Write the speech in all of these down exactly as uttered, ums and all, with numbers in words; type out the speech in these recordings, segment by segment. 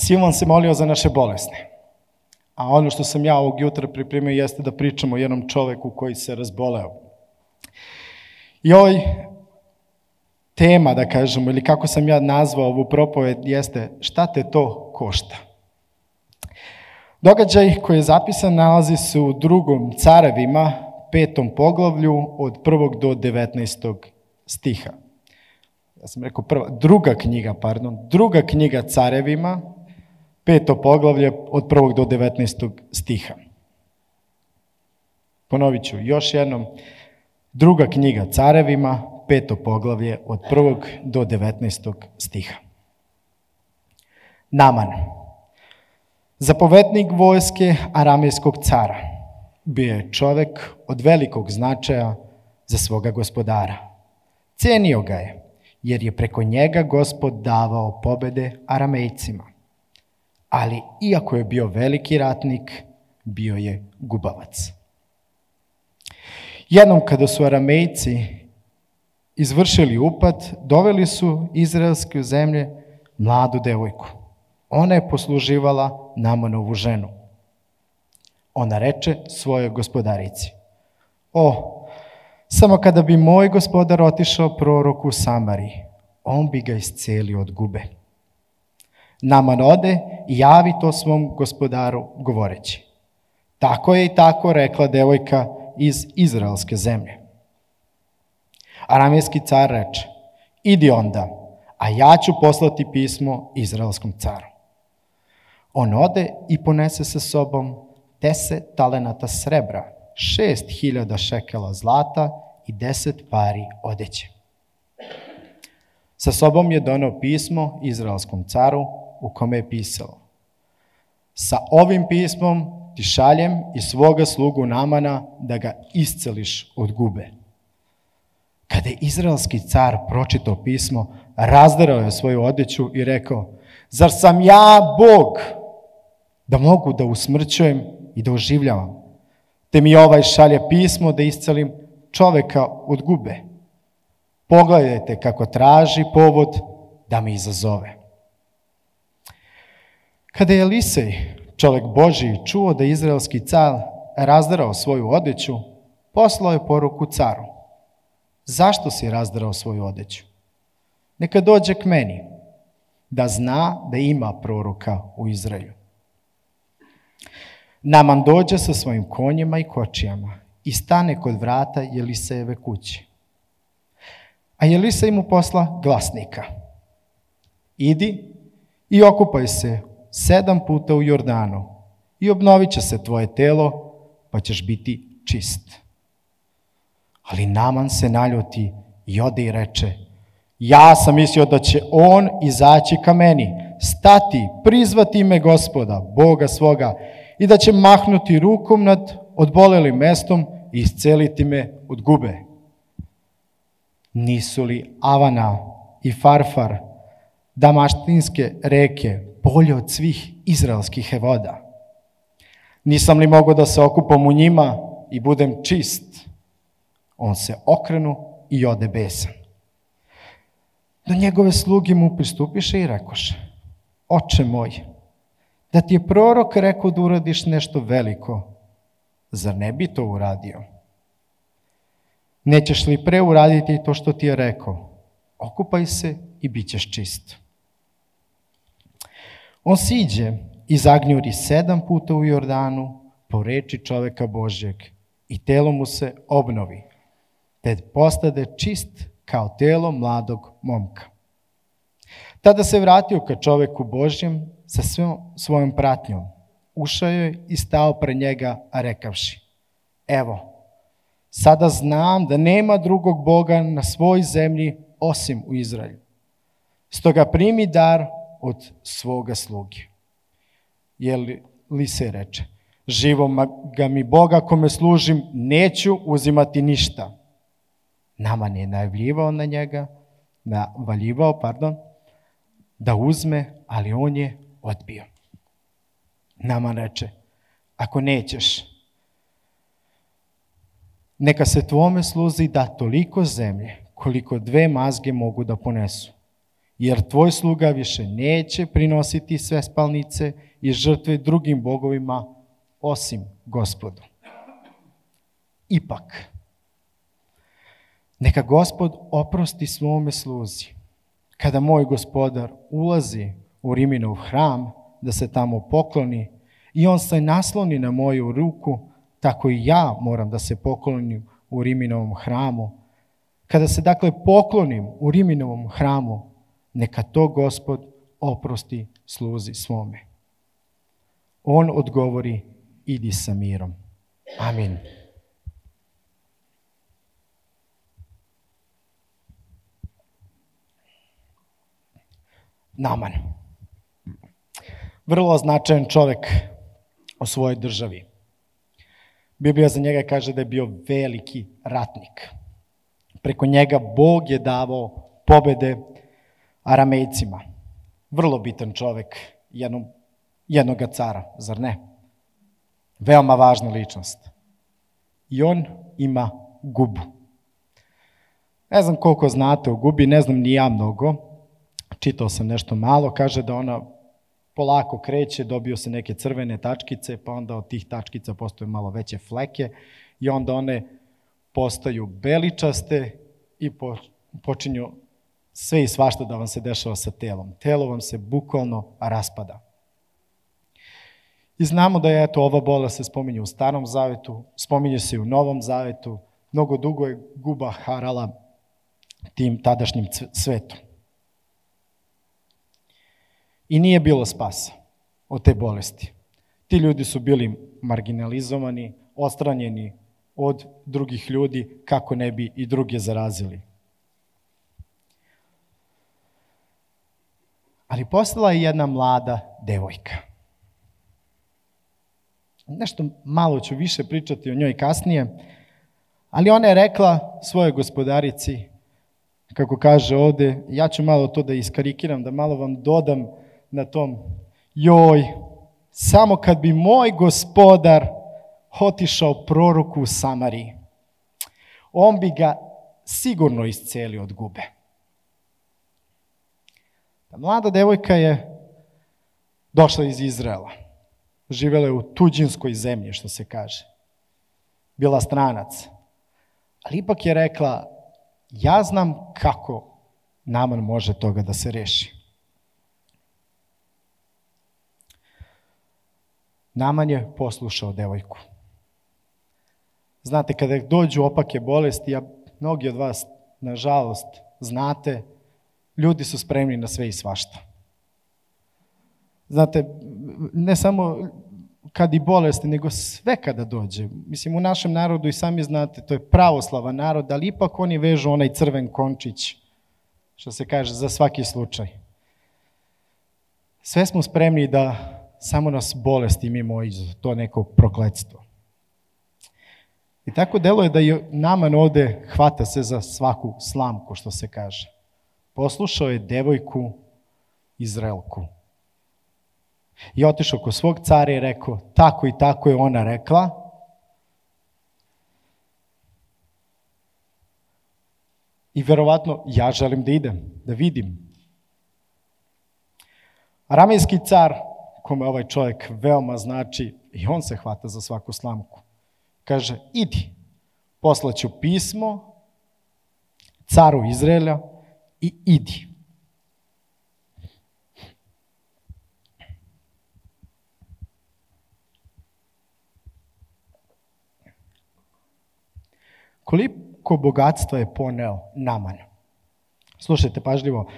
Silvan se molio za naše bolesne. A ono što sam ja ovog jutra pripremio jeste da pričamo o jednom čoveku koji se razboleo. I ovaj tema, da kažemo, ili kako sam ja nazvao ovu propoved, jeste šta te to košta. Događaj koji je zapisan nalazi se u drugom Carevima, petom poglavlju, od prvog do devetnaestog stiha. Ja sam rekao prva, druga knjiga, pardon, druga knjiga Carevima, peto poglavlje, od prvog do devetnaestog stiha. Ponovit ću još jednom, druga knjiga Carevima, peto poglavlje, od prvog do devetnaestog stiha. Naman, zapovednik vojske aramejskog cara, bio je čovek od velikog značaja za svoga gospodara. Cenio ga je, jer je preko njega Gospod davao pobede Aramejcima. Ali, iako je bio veliki ratnik, bio je gubavac. Jednom kada su Aramejci izvršili upad, doveli su izraelske zemlje mladu devojku. Ona je posluživala Namanovu ženu. Ona reče svojoj gospodarici: O, samo kada bi moj gospodar otišao proroku u Samariji, on bi ga iscelio od gube. Naman ode i javi to svom gospodaru govoreći: Tako je i tako rekla devojka iz izraelske zemlje. Aramejski car reče: Idi onda, a ja ću poslati pismo izraelskom caru. On ode i ponese sa sobom deset talenata srebra, šest hiljada šekela zlata i deset pari odeće. Sa sobom je doneo pismo izraelskom caru u kome je pisalo: Sa ovim pismom ti šaljem i svoga slugu Namana da ga isceliš od gube. Kada je izraelski car pročitao pismo, razderao je svoju odeću i rekao: Zar sam ja Bog da mogu da usmrćujem i da oživljavam? Te mi ovaj šalje pismo da iscelim čoveka od gube. Pogledajte kako traži povod da me izazove. Kada je Elisej, čovek Božiji, čuo da je izraelski car razderao svoju odeću, poslao je poruku caru: Zašto si razderao svoju odeću? Neka dođe k meni, da zna da ima proroka u Izraelju. Naman dođe sa svojim konjima i kočijama i stane kod vrata Elisejeve kuće. A Elisej mu posla glasnika: Idi i okupaj se sedam puta u Jordanu i obnovit će se tvoje telo, pa ćeš biti čist. Ali Naman se naljuti i ode i reče: Ja sam mislio da će on izaći ka meni, stati, prizvati ime Gospoda, Boga svoga, i da će mahnuti rukom nad odbolelim mestom i isceliti me od gube. Nisu li Avana i Farfar, damaštinske reke, bolje od svih izraelskih voda? Nisam li mogao da se okupam u njima i budem čist? On se okrenu i ode besan. Do njegove sluge mu pristupiše i rekoše: Oče moj, da ti je prorok rekao da uradiš nešto veliko, zar ne bi to uradio? Nećeš li pre uraditi to što ti je rekao? Okupaj se i bit ćeš čist. On siđe i zagnjuri sedam puta u Jordanu po reči čoveka Božjeg i telo mu se obnovi, te postade čist kao telo mladog momka. Tada se vratio ka čoveku Božjem sa svojom pratnjom, ušao je i stao pred njega, rekavši: Evo, sada znam da nema drugog Boga na svoj zemlji osim u Izraelju. Stoga primi dar od svoga sluge. Elisej reče: Živo ga mi Boga kome služim, neću uzimati ništa. Naman je najavljivao na njega, navaljivao, pardon, da uzme, ali on je odbio. Naman reče: Ako nećeš, neka se tvome sluzi da toliko zemlje, koliko dve mazge mogu da ponesu. jer tvoj sluga više neće prinositi sve spalnice i žrtve drugim bogovima osim Gospodu. Ipak, neka Gospod oprosti svome sluzi. Kada moj gospodar ulazi u Riminov hram da se tamo pokloni i on se nasloni na moju ruku, tako i ja moram da se poklonim u Riminovom hramu. Kada se dakle poklonim u Riminovom hramu, neka to Gospod oprosti sluzi svome. On odgovori, idi sa mirom. Amin. Naman. Vrlo značajan čovjek u svojoj državi. Biblija za njega kaže da je bio veliki ratnik. Preko njega Bog je davao pobede Aramejcima. Vrlo bitan čovjek jednog, jednoga cara, zar ne? Veoma važna ličnost. I on ima Gubu. Ne znam koliko znate o Gubi, ne znam ni ja mnogo. Čitao sam nešto malo, kaže da ona polako kreće, dobio se neke crvene tačkice, pa onda od tih tačkica postoje malo veće fleke i onda one postaju beličaste i počinju sve i svašta da vam se dešava sa telom. Telo vam se bukvalno raspada. I znamo da je eto, ova bolest se spominje u Starom zavetu, spominje se i u Novom zavetu, mnogo dugo je Guba harala tim tadašnjim svetom. I nije bilo spasa od te bolesti. Ti ljudi su bili marginalizovani, odstranjeni od drugih ljudi kako ne bi i druge zarazili. Ali postala je jedna mlada devojka. Nešto malo ću više pričati o njoj kasnije, ali ona je rekla svojoj gospodarici, kako kaže ovde, ja ću malo to da iskarikiram, da malo vam dodam na tom, joj, samo kad bi moj gospodar otišao proroku u Samariji, on bi ga sigurno iscelio od Gube. Ta mlada devojka je došla iz Izraela. Živela je u tuđinskoj zemlji, što se kaže. Bila stranac. Ali ipak je rekla, ja znam kako Naman može toga da se reši. Naman je poslušao devojku. Znate, kada dođu opake bolesti, a mnogi od vas, nažalost, znate, ljudi su spremni na sve i svašta. Znate, ne samo kad i bolesti, nego sve kada dođe. Mislim, u našem narodu i sami znate, to je pravoslavan narod, ali ipak oni vežu onaj crven končić, što se kaže, za svaki slučaj. Sve smo spremni da samo nas bolesti mimo iđe, to neko prokletstvo. I tako deluje da je Naman ovde hvata se za svaku slamku, što se kaže. Poslušao je devojku Izraelku. I otišao kod svog cara i rekao, tako i tako je ona rekla. I verovatno ja želim da idem, da vidim. Aramejski car, kome ovaj čovjek veoma znači, i on se hvata za svaku slamku. Kaže, idi, poslaću pismo caru Izraela i idi. Koliko bogatstva je poneo Naman? Slušajte pažljivo.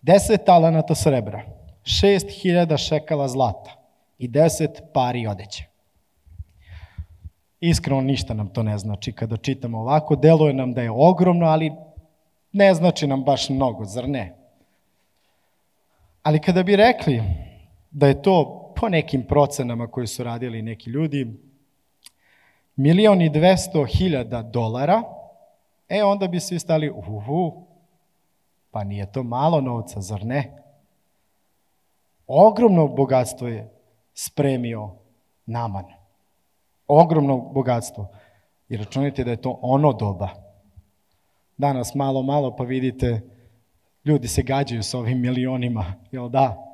Deset talenata srebra, šest hiljada šekala zlata i deset pari odeće. Iskreno ništa nam to ne znači. Kada čitamo ovako, deluje nam da je ogromno, ali ne znači nam baš mnogo, zar ne? Ali kada bi rekli da je to po nekim procenama koji su radili neki ljudi, milion i dvesto hiljada dolara, e onda bi svi stali, uhu, pa nije to malo novca, zar ne? Ogromno bogatstvo je spremio Naman. Ogromno bogatstvo. I računajte da je to ono doba. Danas malo, malo pa vidite, ljudi se gađaju s ovim milionima, jel da?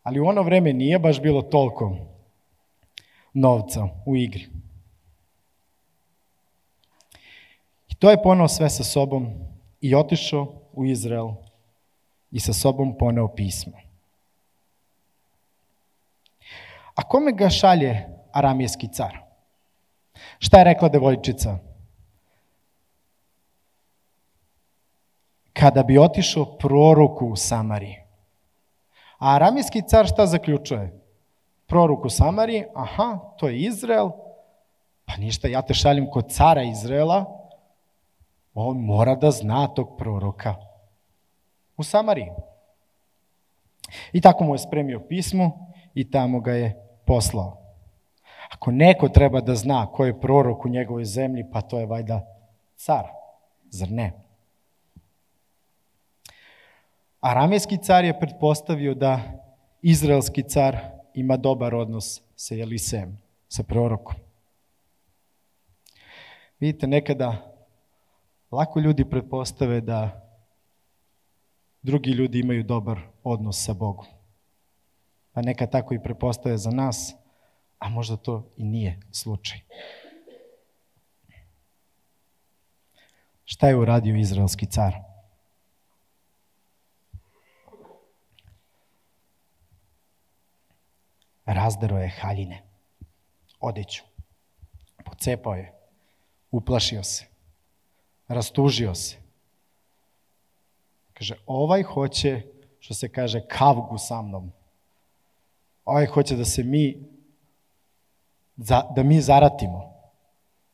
Ali u ono vreme nije baš bilo toliko novca u igri. I to je poneo sve sa sobom i otišao u Izrael i sa sobom poneo pismo. A kome ga šalje aramejski car? Šta je rekla devojčica? Kada bi otišao proroku u Samariji. A aramejski car šta zaključuje? Prorok u Samariji, aha, to je Izrael, pa ništa, ja te šaljem kod cara Izraela, on mora da zna tog proroka u Samariji. I tako mu je spremio pismo i tamo ga je poslao. Ako neko treba da zna ko je prorok u njegovoj zemlji, pa to je valjda car, zar ne? Aramejski car je pretpostavio da izraelski car ima dobar odnos sa Elisejem, sa prorokom. Vidite, nekada lako ljudi pretpostave da drugi ljudi imaju dobar odnos sa Bogom. Pa neka tako i pretpostave za nas, a možda to i nije slučaj. Šta je uradio izraelski car? Razderao je haljine, odeću, pocepao je, uplašio se, rastužio se. Kaže, ovaj hoće, što se kaže, kavgu sa mnom. Ovaj hoće da se mi, da mi zaratimo.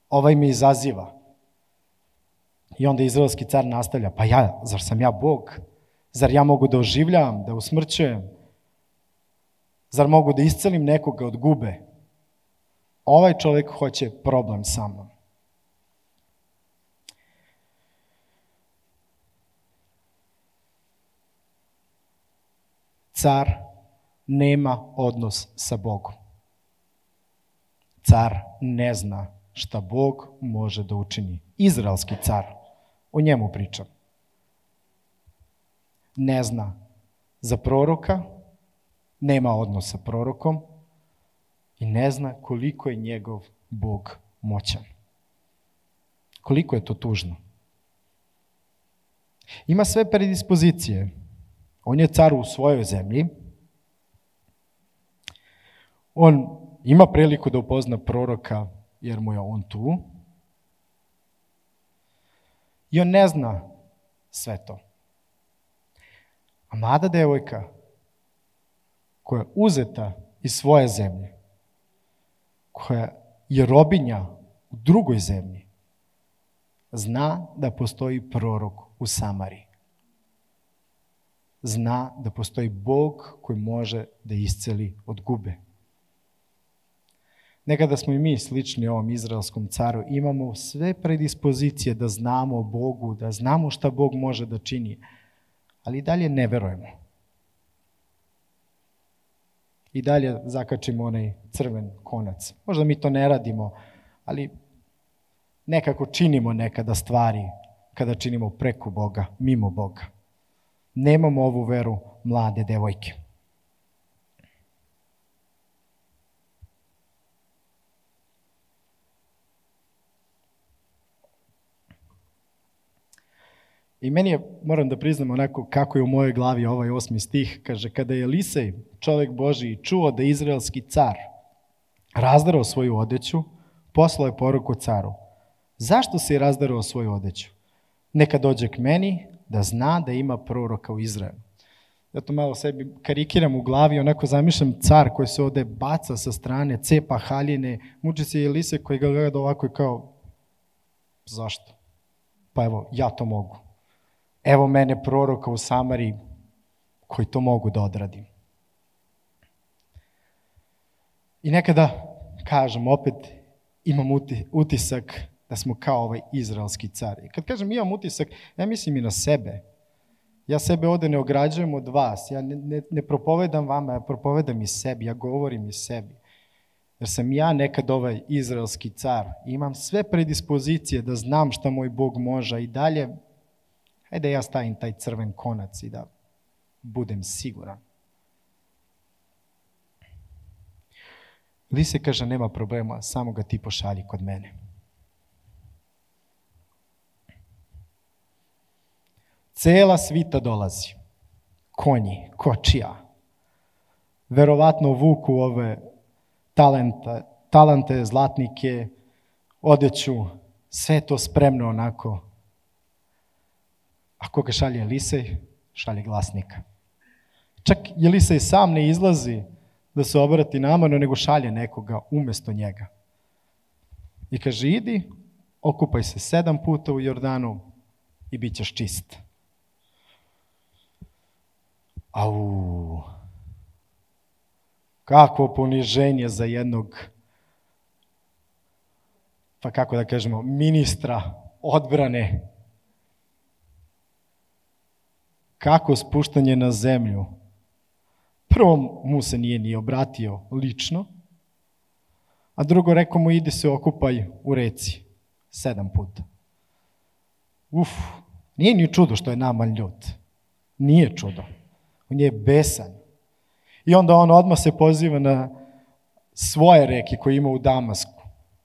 Ovaj me izaziva. I onda izraelski car nastavlja, pa ja, zar sam ja Bog? Zar ja mogu da oživljavam, da usmrćujem? Zar mogu da iscelim nekoga od gube? Ovaj čovjek hoće problem sa mnom. Car nema odnos sa Bogom. Car ne zna šta Bog može da učini. Izraelski car, o njemu pričam. Ne zna za proroka, nema odnos sa prorokom i ne zna koliko je njegov Bog moćan. Koliko je to tužno. Ima sve predispozicije. On je car u svojoj zemlji. On ima priliku da upozna proroka jer mu je on tu. I on ne zna sve to. A mlada devojka koja je uzeta iz svoje zemlje, koja je robinja u drugoj zemlji, zna da postoji prorok u Samariji. Zna da postoji Bog koji može da isceli od gube. Nekada smo i mi slični ovom izraelskom caru, imamo sve predispozicije da znamo o Bogu, da znamo šta Bog može da čini, ali i dalje ne verujemo. I dalje zakačimo onaj crven konac. Možda mi to ne radimo, ali nekako činimo nekada stvari kada činimo preko Boga, mimo Boga. Nemamo ovu veru mlade devojke. I meni je, moram da priznam onako kako je u mojoj glavi ovaj osmi stih, kaže, kada je Elisej, čovjek Božiji, čuo da izraelski car razdarao svoju odeću, poslao je poruku caru. Zašto si razdarao svoju odeću? Neka dođe k meni da zna da ima proroka u Izraelu. Ja to malo sebi karikiram u glavi, onako zamišljam car koji se ovde baca sa strane, cepa haljine, muči se Elisej koji ga gleda ovako i kao, zašto? Pa evo, ja to mogu. Evo mene proroka u Samariji koji to mogu da odradim. I nekada, kažem, opet imam utisak da smo kao ovaj izraelski car. I kad kažem imam utisak, ja mislim i na sebe. Ja sebe ovde ne ograđujem od vas, ja ne, ne, ne propovedam vama, ja propovedam i sebi, ja govorim i sebi. Jer sam ja nekad ovaj izraelski car. Imam sve predispozicije da znam šta moj Bog može i dalje Hajde ja stavim taj crven konac i da budem siguran. Elise kaže, nema problema, samo ga ti pošalji kod mene. Cela svita dolazi. Konji, kočija. Verovatno vuku ove talenta, talente, zlatnike, odeću, sve to spremno onako. A koga šalje Elisej? Šalje glasnika. Čak Elisej sam ne izlazi da se obrati Naamanu, nego šalje nekoga umjesto njega. I kaže, idi, okupaj se sedam puta u Jordanu i bit ćeš čist. Au, kakvo poniženje za jednog, pa kako da kažemo, ministra odbrane. Kako spuštanje na zemlju. Prvo mu se nije ni obratio lično, a drugo rekao mu, idi se okupaj u reci sedam puta. Uf, nije ni čudo što je Naaman ljut. Nije čudo. On je besan. I onda on odmah se poziva na svoje reke koje ima u Damasku.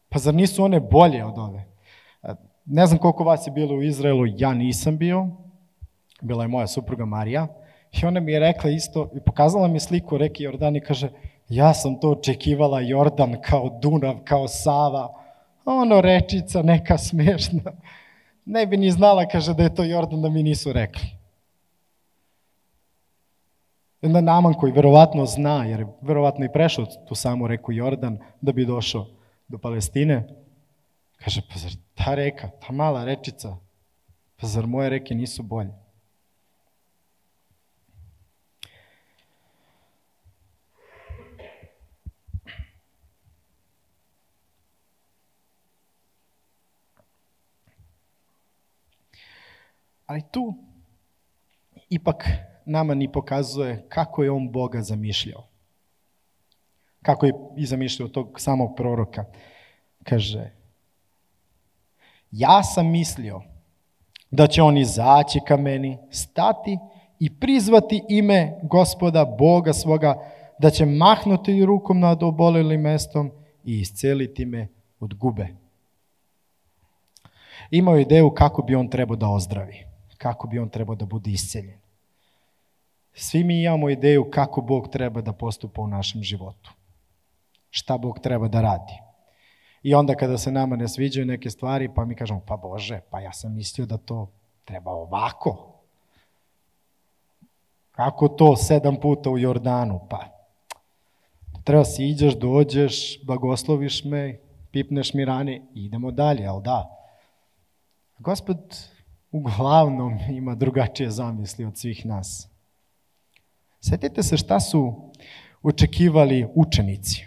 Pa zar nisu one bolje od ove? Ne znam koliko vas je bilo u Izraelu, ja nisam bio. Bila je moja supruga Marija. I ona mi je rekla isto i pokazala mi sliku reke Jordan i kaže, ja sam to očekivala Jordan kao Dunav, kao Sava. Ono rečica neka smešna. Ne bi ni znala, kaže, da je to Jordan, da mi nisu rekli. Onda Naaman koji verovatno zna, jer je verovatno i prešao tu samu reku Jordan da bi došao do Palestine, kaže, pa zar ta reka, ta mala rečica, pa zar moje reke nisu bolje? Ali tu ipak Naaman i pokazuje kako je on Boga zamišljao. Kako je i zamišljao tog samog proroka. Kaže, ja sam mislio da će on izaći ka meni, stati i prizvati ime Gospoda, Boga svoga, da će mahnuti rukom nad obolelim mestom i isceliti me od gube. Imao je ideju kako bi on trebao da ozdravi, kako bi on trebao da bude isceljen. Svi mi imamo ideju kako Bog treba da postupa u našem životu. Šta Bog treba da radi. I onda kada se nama ne sviđaju neke stvari, pa mi kažemo, pa Bože, pa ja sam mislio da to treba ovako. Kako to sedam puta u Jordanu? Pa treba si iđeš, dođeš, blagosloviš me, pipneš mi rane i idemo dalje, ali da. Gospod uglavnom ima drugačije zamisli od svih nas. Sjetite se šta su očekivali učenici.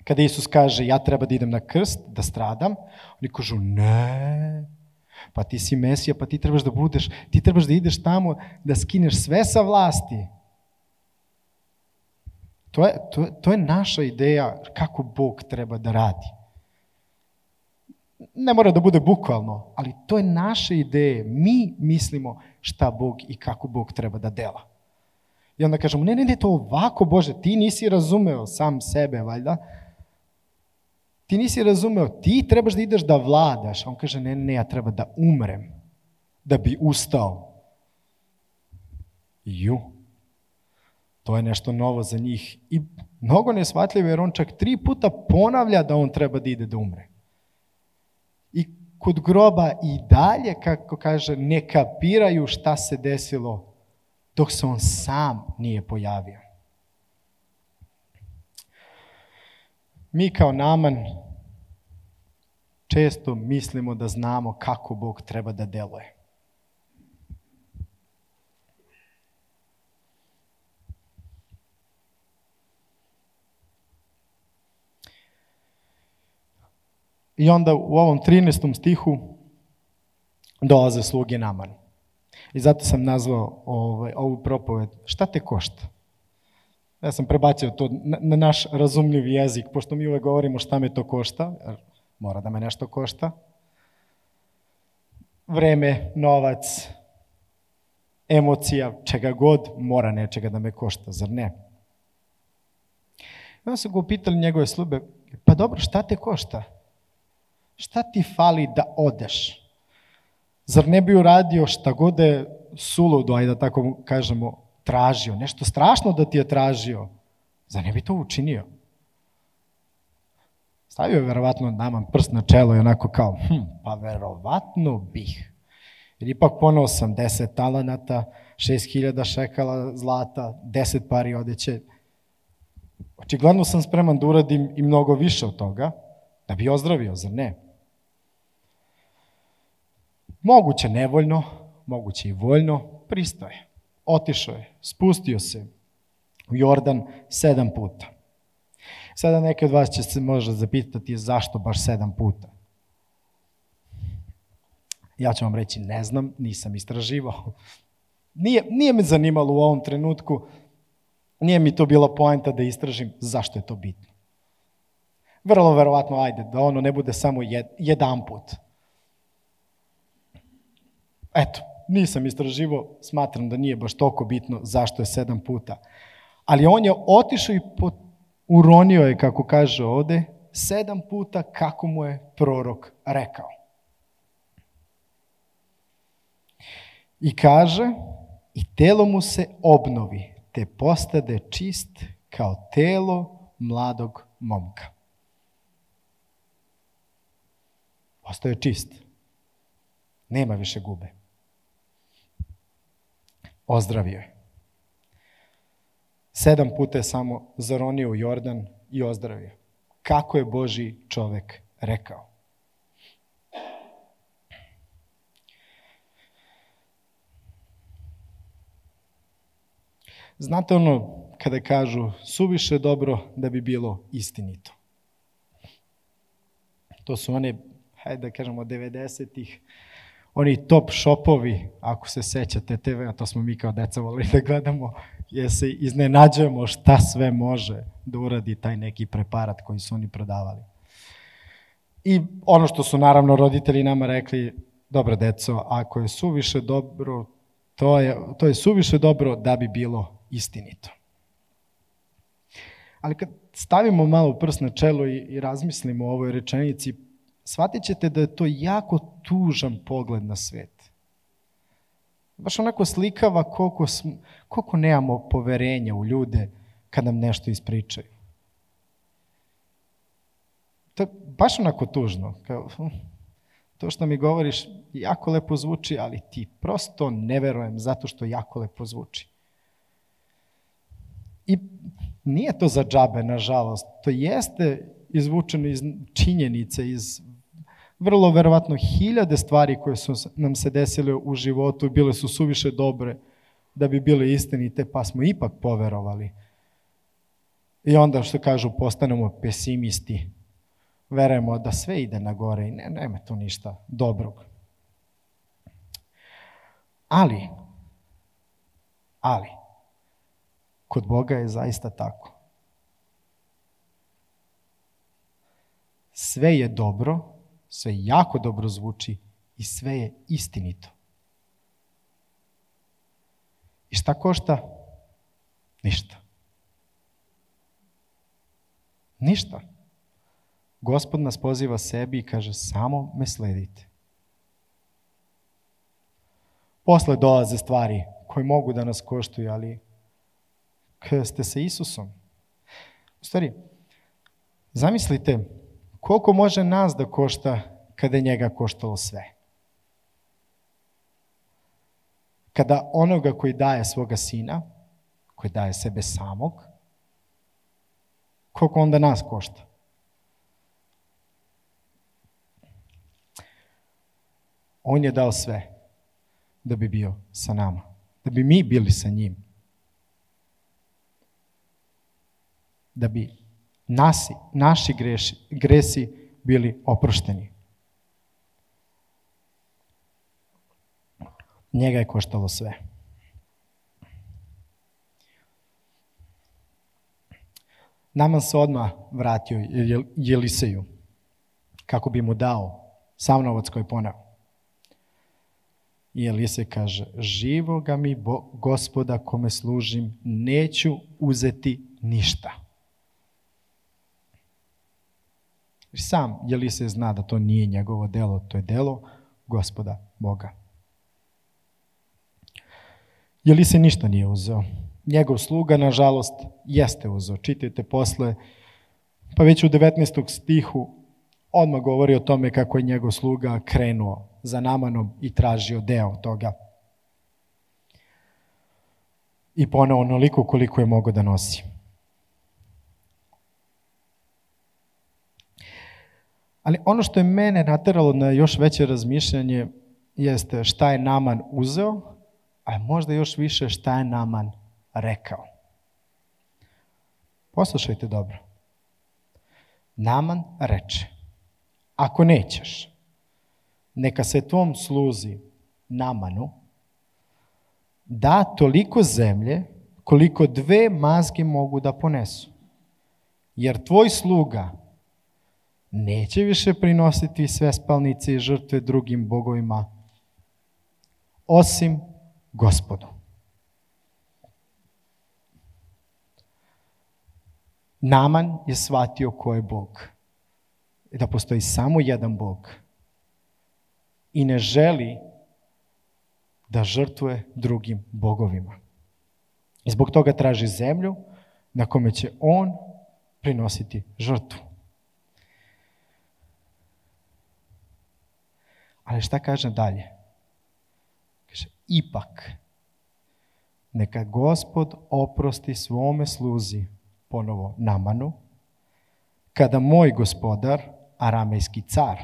Kada Isus kaže, ja treba da idem na krst, da stradam, oni kažu, ne, pa ti si Mesija, pa ti trebaš da budeš, ti trebaš da ideš tamo, da skineš sve sa vlasti. To je, to, to je naša ideja kako Bog treba da radi. Ne mora da bude bukvalno, ali to je naše ideje. Mi mislimo šta Bog i kako Bog treba da dela. I onda kažemo, ne, ne, ne, to ovako, Bože, ti nisi razumeo sam sebe, valjda. Ti nisi razumeo, ti trebaš da ideš da vladaš. A on kaže, ne, ne, ja treba da umrem, da bi ustao. Ju, to je nešto novo za njih. I mnogo neshvatljivo, jer on čak tri puta ponavlja da on treba da ide da umre. I kod groba i dalje, kako kaže, ne kapiraju šta se desilo dok se on sam nije pojavio. Mi kao Naaman često mislimo da znamo kako Bog treba da deluje. I onda u ovom trinaestom stihu dolaze sluge Naamanu. I zato sam nazvao ovaj, ovu propoved šta te košta? Ja sam prebacio to na, na naš razumljiv jezik, pošto mi uvek govorimo šta me to košta, jer mora da me nešto košta. vreme, novac, emocija, čega god, mora nečega da me košta, zar ne? I onda su ga upitali njegove sluge, pa dobro, šta te košta? Šta ti fali da odeš? Zar ne bi uradio šta god je suludo, ajde da tako kažemo, tražio, nešto strašno da ti je tražio? Zar ne bi to učinio? Stavio je verovatno naman prst na čelo i onako kao, hm, pa verovatno bih. Jer ipak poneo sam deset talenata, šest hiljada šekala zlata, deset pari odeće. Očigledno sam spreman da uradim i mnogo više od toga, da bi ozdravio, zar ne? Moguće nevoljno, moguće i voljno, pristao je. Otišao je, spustio se u Jordan sedam puta. Sada neki od vas će se možda zapitati zašto baš sedam puta. Ja ću vam reći, ne znam, nisam istraživao. Nije, nije me zanimalo u ovom trenutku, nije mi to bila poenta da istražim zašto je to bitno. Vrlo verovatno, ajde, da ono ne bude samo jed, jedan put. Eto, nisam istraživao, smatram da nije baš toliko bitno zašto je sedam puta. Ali on je otišao i pot, uronio je, kako kaže ovde, sedam puta kako mu je prorok rekao. I kaže, i telo mu se obnovi, te postade čist kao telo mladog momka. Postao je čist. Nema više gube. Ozdravio je. Sedam puta je samo zaronio u Jordan i ozdravio. Kako je Božji čovek rekao. Znate ono, kada kažu suviše dobro da bi bilo istinito. To su one, hajde da kažemo, devedesetih, oni top shopovi, ako se sećate te ve, a to smo mi kao deca volili da gledamo, jer se iznenađujemo šta sve može da uradi taj neki preparat koji su oni prodavali. I ono što su naravno roditelji nama rekli, dobro deco, ako je suviše dobro, to je, to je suviše dobro da bi bilo istinito. Ali kad stavimo malo prst na čelo i, i razmislimo o ovoj rečenici, shvatit ćete da je to jako tužan pogled na svet. Baš onako slikava koliko, smo, koliko nemamo poverenja u ljude kad nam nešto ispričaju. To je baš onako tužno. Kao, to što mi govoriš jako lepo zvuči, ali ti prosto ne verujem zato što jako lepo zvuči. I nije to za džabe, nažalost. To jeste izvučeno iz činjenice, iz vrlo verovatno hiljade stvari koje su nam se desile u životu, bile su suviše dobre da bi bile istinite, pa smo ipak poverovali. I onda, što kažu, postanemo pesimisti. Verujemo da sve ide na gore i ne, nema tu ništa dobrog. Ali, ali, kod Boga je zaista tako. Sve je dobro, sve jako dobro zvuči i sve je istinito. I šta košta? Ništa. Ništa. Gospod nas poziva sebi i kaže samo me sledite. Posle dolaze stvari koje mogu da nas koštuju, ali kada ste sa Isusom. U stvari, zamislite koliko može nas da košta kada je njega koštalo sve. Kada onoga koji daje svoga sina, koji daje sebe samog, koliko onda nas košta? On je dao sve da bi bio sa nama, da bi mi bili sa njim. Da bi nasi, naši greši, gresi bili oprošteni. Njega je koštalo sve. Naman se odmah vratio Jeliseju kako bi mu dao sav novac koji je poneo. I Elise kaže, živoga mi Bo, Gospoda kome služim, neću uzeti ništa. I sam Elise zna da to nije njegovo delo, to je delo Gospoda Boga. Elise ništa nije uzeo. Njegov sluga, nažalost, jeste uzeo. Čitajte posle, pa već u devetnaestom stihu odmah govori o tome kako je njegov sluga krenuo za Namanom i tražio deo toga. I poneo onoliko koliko je mogao da nosi. Ali ono što je mene nateralo na još veće razmišljanje jeste šta je Naman uzeo, a možda još više šta je Naman rekao. Poslušajte dobro. Naman reče, ako nećeš, neka se tvom sluzi Namanu da toliko zemlje koliko dve mazge mogu da ponesu. Jer tvoj sluga neće više prinositi sve spalnice i žrtve drugim bogovima, osim Gospodu. Naman je shvatio ko je Bog. I da postoji samo jedan Bog. I ne želi da žrtvuje drugim bogovima. I zbog toga traži zemlju na kome će on prinositi žrtvu. Ali šta kaže dalje? Kaže, ipak, neka Gospod oprosti svome sluzi, ponovo Namanu, kada moj gospodar, aramejski car,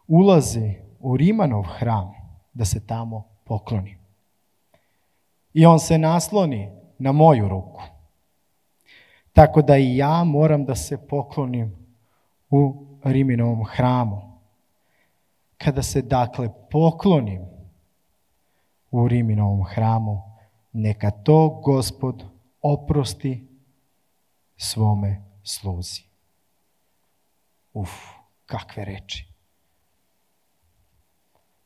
ulazi u Rimanov hram da se tamo pokloni. I on se nasloni na moju ruku. Tako da i ja moram da se poklonim u Riminovom hramu. Kada se dakle poklonim u Riminovom hramu, neka to Gospod oprosti svome sluzi. Uf, kakve reči.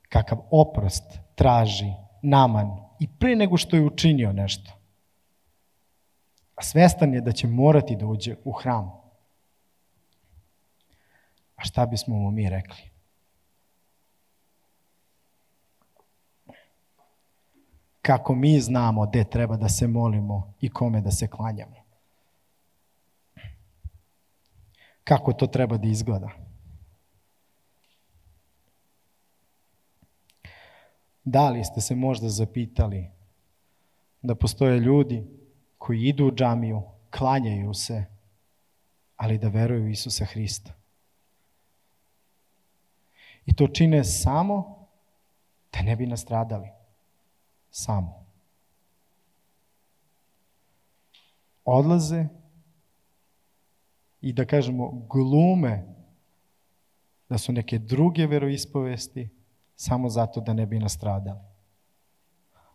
Kakav oprost traži Naman i pre nego što je učinio nešto. A svestan je da će morati da uđe u hram. A šta bismo mu mi rekli? Kako mi znamo gde treba da se molimo i kome da se klanjamo? Kako to treba da izgleda? Da li ste se možda zapitali da postoje ljudi koji idu u džamiju, klanjaju se, ali da veruju u Isusa Hrista? I to čine samo da ne bi nastradali. Samo. Odlaze i da kažemo glume da su neke druge veroispovesti samo zato da ne bi nastradali.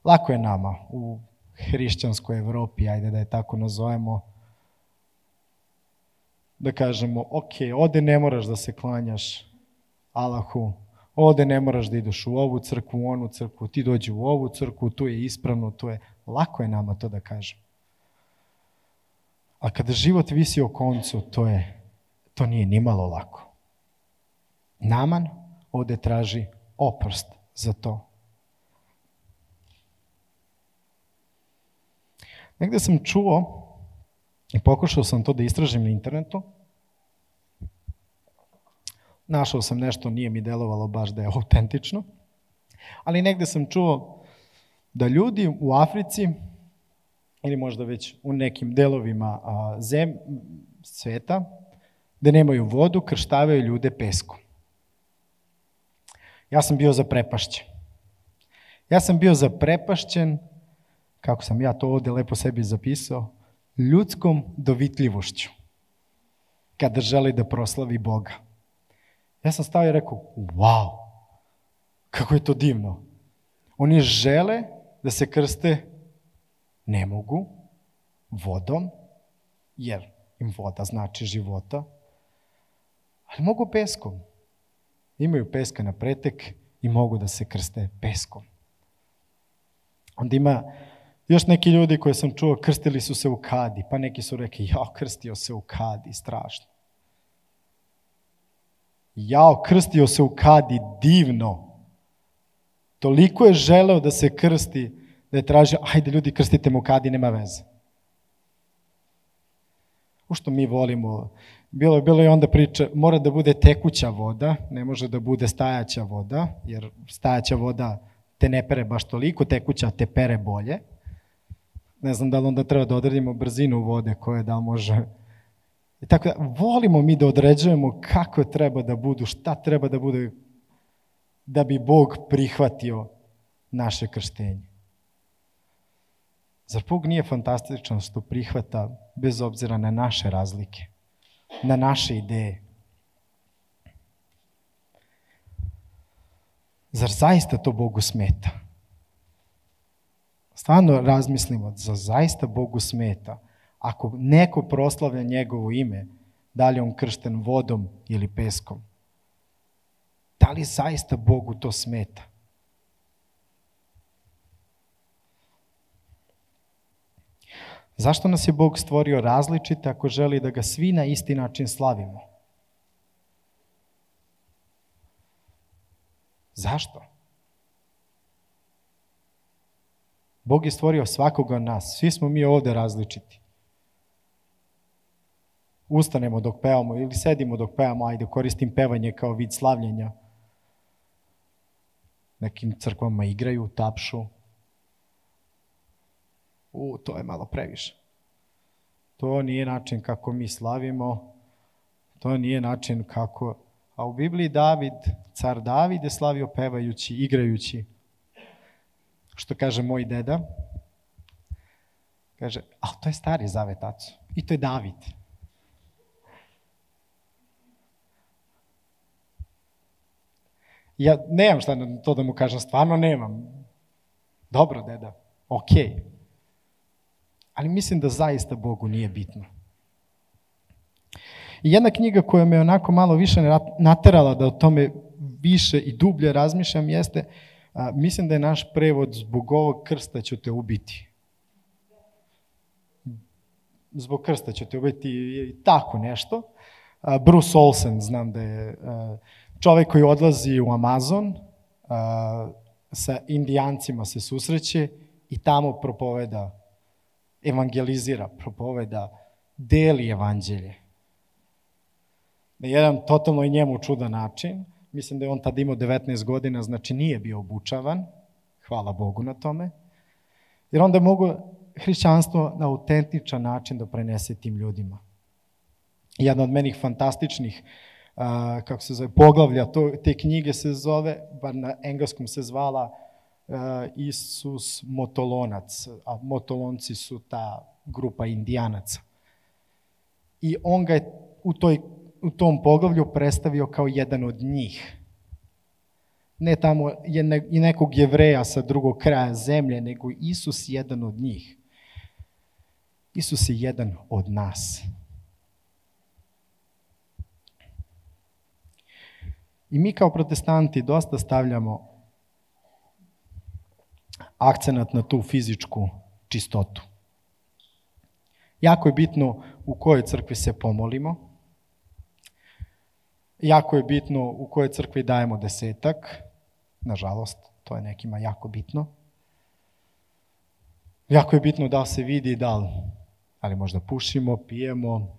Lako je nama u hrišćanskoj Evropi, ajde da je tako nazovemo, da kažemo, ok, ovde ne moraš da se klanjaš Allahu, ovde ne moraš da ideš u ovu crkvu, u onu crkvu, ti dođi u ovu crkvu, tu je ispravno, tu je... Lako je nama to da kažem. A kada život visi o koncu, to je, to nije nimalo lako. Naman ovde traži oprost za to. Negde sam čuo i pokušao sam to da istražim na internetu. Našao sam nešto, nije mi delovalo baš da je autentično, ali negde sam čuo da ljudi u Africi ili možda već u nekim delovima a, zem, sveta, gde nemaju vodu, krštavaju ljude peskom. Ja sam bio zaprepašćen. Ja sam bio zaprepašćen, kako sam ja to ovde lepo sebi zapisao, ljudskom dovitljivošću, kada želi da proslavi Boga. Ja sam stao i rekao, wow, kako je to divno. Oni žele da se krste, ne mogu, vodom, jer im voda znači života, ali mogu peskom. Imaju peska na pretek i mogu da se krste peskom. Onda ima još neki ljudi koje sam čuo, krstili su se u kadi, pa neki su rekli, jao, krstio se u kadi, strašno. Jao, krstio se u kadi, divno. Toliko je želeo da se krsti, da je tražio, ajde ljudi, krstite mu u kadi, nema veze. U što mi volimo, bilo je, bilo je onda priča, mora da bude tekuća voda, ne može da bude stajaća voda, jer stajaća voda te ne pere baš toliko, tekuća te pere bolje. Ne znam da li onda treba da odredimo brzinu vode koje da može. I tako da, volimo mi da određujemo kako treba da budu, šta treba da bude, da bi Bog prihvatio naše krštenje. Zar Bog nije fantastičan što prihvata bez obzira na naše razlike, na naše ideje? Zar zaista to Bogu smeta? Stvarno razmislimo, zar zaista Bogu smeta ako neko proslavlja njegovo ime, da li je on kršten vodom ili peskom? Da li zaista Bogu to smeta? Zašto nas je Bog stvorio različite ako želi da ga svi na isti način slavimo? Zašto? Bog je stvorio svakoga od nas. Svi smo mi ovde različiti. Ustanemo dok pevamo ili sedimo dok pevamo, ajde koristim pevanje kao vid slavljenja. Nekim crkvama igraju, tapšu. U, to je malo previše. To nije način kako mi slavimo, to nije način kako... A u Bibliji David, car David je slavio pevajući, igrajući. Što kaže moj deda? Kaže, ali to je stari zavet, aco. I to je David. Ja nemam šta na to da mu kažem, stvarno nemam. Dobro, deda, okej. Okay. Ali mislim da zaista Bogu nije bitno. I jedna knjiga koja me onako malo više naterala da o tome više i dublje razmišljam jeste, a, mislim da je naš prevod zbog ovog krsta ću te ubiti. Zbog krsta ću te ubiti i tako nešto. A, Bruce Olsen, znam da je a, čovjek koji odlazi u Amazon, a, sa Indijancima se susreće i tamo propoveda, evangelizira, propoveda, deli evanđelje. Na jedan totalno i njemu čudan način. Mislim da je on tada imao devetnaest godina, znači nije bio obučavan. Hvala Bogu na tome. Jer onda mogu hrišćanstvo na autentičan način da prenese tim ljudima. Jedna od menih fantastičnih uh, kako se zove, poglavlja to, te knjige se zove, bar na engleskom se zvala uh, Isus Motolonac, a Motolonci su ta grupa Indijanaca. I on ga je u toj u tom poglavlju predstavio kao jedan od njih. Ne tamo je ne, i nekog Jevreja sa drugog kraja zemlje, nego Isus jedan od njih. Isus je jedan od nas. I mi kao protestanti dosta stavljamo akcenat na tu fizičku čistotu. Jako je bitno u kojoj crkvi se pomolimo. Jako je bitno u kojoj crkvi dajemo desetak. Nažalost, to je nekima jako bitno. Jako je bitno da se vidi da li, ali možda pušimo, pijemo,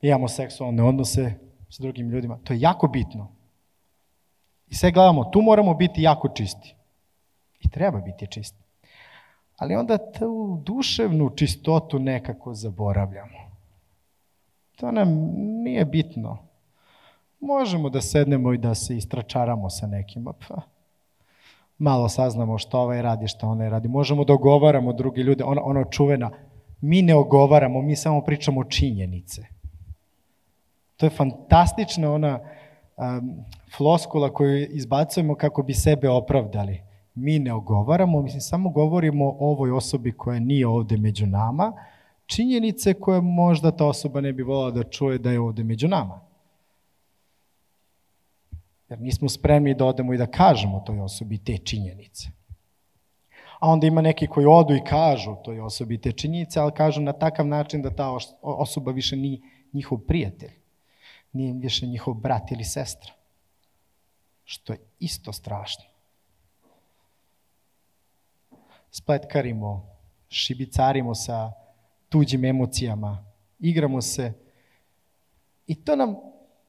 imamo seksualne odnose s drugim ljudima. To je jako bitno. I sve gledamo, tu moramo biti jako čisti. I treba biti čisti. Ali onda tu duševnu čistotu nekako zaboravljamo. To nam nije bitno. Možemo da sednemo i da se istračaramo sa nekima. Pa, malo saznamo što ovaj radi, što onaj radi. Možemo da ogovaramo drugi ljude. Ono, ono čuvena, mi ne ogovaramo, mi samo pričamo činjenice. To je fantastična ona um, floskula koju izbacujemo kako bi sebe opravdali. Mi ne ogovaramo, mislim, samo govorimo o ovoj osobi koja nije ovde među nama, činjenice koje možda ta osoba ne bi volala da čuje da je ovde među nama. Jer nismo spremni da odemo i da kažemo toj osobi te činjenice. A onda ima neki koji odu i kažu toj osobi te činjenice, ali kažu na takav način da ta osoba više nije njihov prijatelj, nije više njihov brat ili sestra. Što je isto strašno. Spletkarimo, šibicarimo sa tuđim emocijama, igramo se i to nam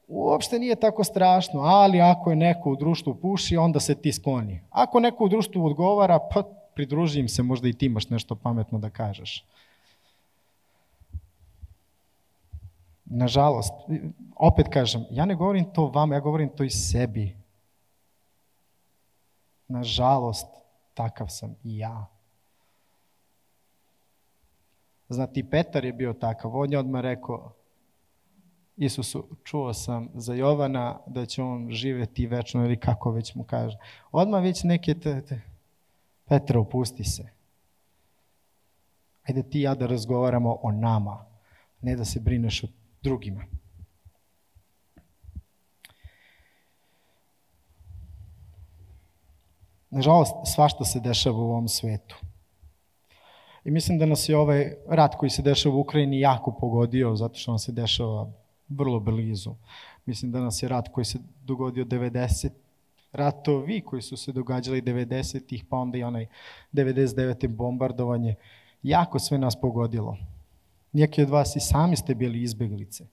uopšte nije tako strašno, ali ako je neko u društvu puši, onda se ti skloni. Ako neko u društvu odgovara, pa pridruži im se, možda i ti imaš nešto pametno da kažeš. Nažalost, opet kažem, ja ne govorim to vama, ja govorim to i sebi. Nažalost, takav sam i ja. Znate, i Petar je bio takav, on je odmah rekao Isusu, čuo sam za Jovana da će on živjeti večno ili kako već mu kaže. Odmah već neke te, te Petra, opusti se. Ajde ti i ja da razgovaramo o nama, ne da se brineš o drugima. Nažalost, svašta se dešava u ovom svetu. I mislim da nas je ovaj rat koji se dešava u Ukrajini jako pogodio, zato što nam se dešava vrlo blizu. Mislim da nas je rat koji se dogodio devedeset, ratovi koji su se događali devedesetih, pa onda i onaj devedeset devete bombardovanje, jako sve nas pogodilo. Neki od vas i sami ste bili izbeglice.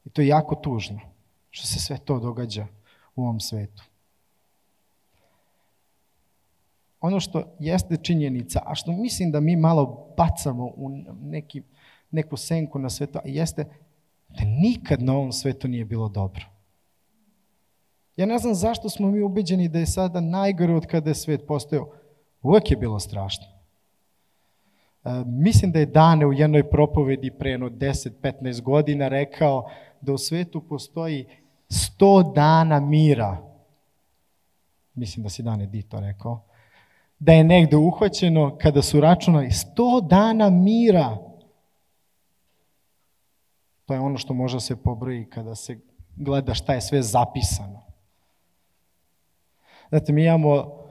I to je jako tužno, što se sve to događa u ovom svetu. Ono što jeste činjenica, a što mislim da mi malo bacamo u neki, neku senku na svetu, jeste da nikad na ovom svetu nije bilo dobro. Ja ne znam zašto smo mi ubeđeni da je sada najgore od kada je svet postojao. Uvijek je bilo strašno. E, mislim da je Dane u jednoj propovedi pre jedno deset do petnaest godina rekao da u svetu postoji sto dana mira. Mislim da si Dane di to rekao. Da je negde uhvaćeno kada su računali sto dana mira. To je ono što može se pobroji kada se gleda šta je sve zapisano. Znate, mi imamo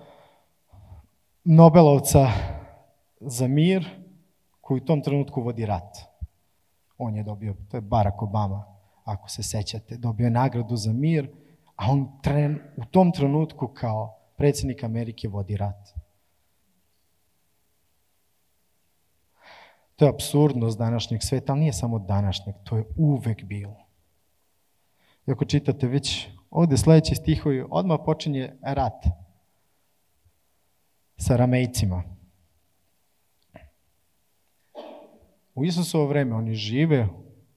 Nobelovca za mir koji u tom trenutku vodi rat. On je dobio, to je Barack Obama, ako se sećate, dobio je nagradu za mir, a on tren, u tom trenutku kao predsjednik Amerike vodi rat. To je apsurdnost današnjeg sveta, ali nije samo današnjeg, to je uvek bilo. I ako čitate već ovde sledeći stihovi, odmah počinje rat sa Ramejcima. U Isusovo vreme oni žive,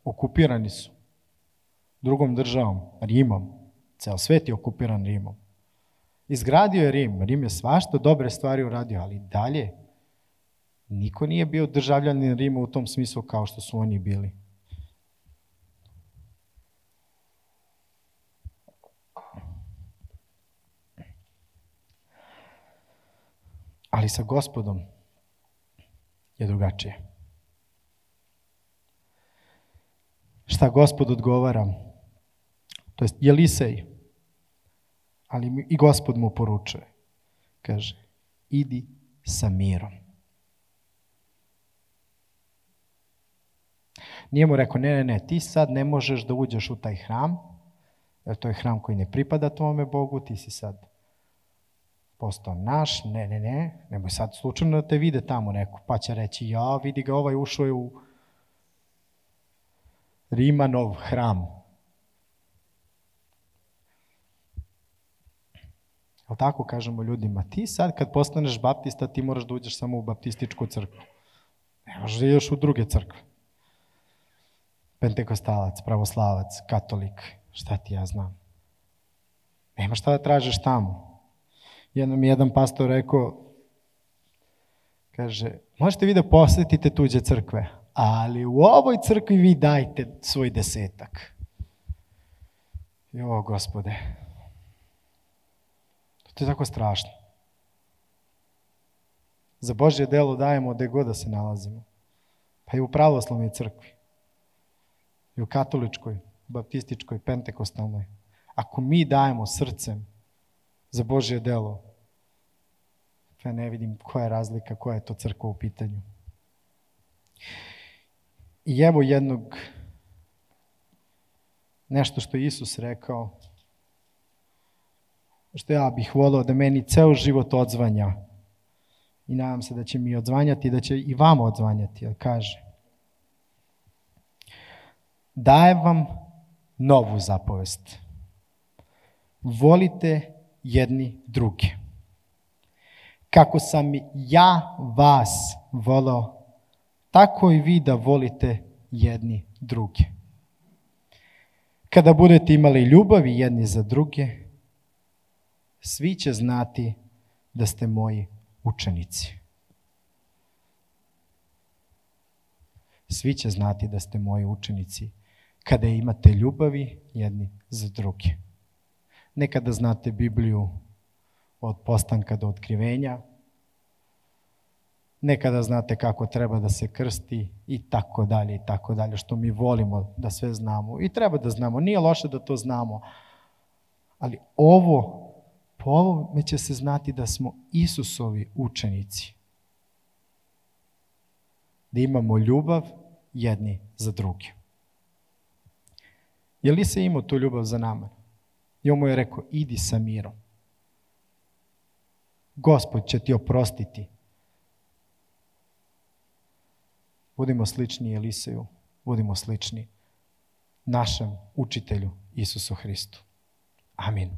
okupirani su drugom državom, Rimom. Ceo svet je okupiran Rimom. Izgradio je Rim, Rim je svašta dobre stvari uradio, ali dalje niko nije bio državljanin Rima u tom smislu kao što su oni bili. Ali sa Gospodom je drugačije. Šta Gospod odgovara? To jest Jelisej, ali i Gospod mu poručuje. Kaže, idi sa mirom. Nije mu rekao, ne, ne, ne, ti sad ne možeš da uđeš u taj hram, jer to je hram koji ne pripada tvome Bogu, ti si sad postao naš, ne, ne, ne, nemoj sad slučajno da te vide tamo neko, pa će reći, ja, vidi ga, ovaj ušao je u Rimanov hram. Ali tako kažemo ljudima, ti sad kad postaneš baptista, ti moraš da uđeš samo u baptističku crkvu. Ne možeš da ideš u druge crkve. Pentekostalac, pravoslavac, katolik, šta ti ja znam. Nema šta da tražiš tamo. Jednom mi jedan pastor rekao, kaže, možete vi da posjetite tuđe crkve, ali u ovoj crkvi vi dajte svoj desetak. Jo, Gospode, to je tako strašno. Za Božje delo dajemo gde god da se nalazimo. Pa i u pravoslavnoj crkvi, i u katoličkoj, baptističkoj, pentekostalnoj. ako mi dajemo srcem za Božje delo, ja ne vidim koja je razlika, koja je to crkva u pitanju. I evo jednog, nešto što je Isus rekao, što ja bih volio da meni ceo život odzvanja i nadam se da će mi odzvanjati i da će i vama odzvanjati, jer kaže: dajem vam novu zapovest. Volite jedni druge. Kako sam ja vas voleo, tako i vi da volite jedni druge. Kada budete imali ljubavi jedni za druge, svi će znati da ste moji učenici. Svi će znati da ste moji učenici kada imate ljubavi jedni za druge. Nekada znate Bibliju od postanka do otkrivenja, nekada znate kako treba da se krsti i tako dalje i tako dalje, što mi volimo da sve znamo i treba da znamo. Nije loše da to znamo, ali ovo, po ovome će se znati da smo Isusovi učenici. Da imamo ljubav jedni za druge. Je li se imao tu ljubav za nama? I on mu je rekao: idi sa mirom. Gospod će ti oprostiti. Budimo slični Eliseju, budimo slični našem učitelju Isusu Hristu. Amin.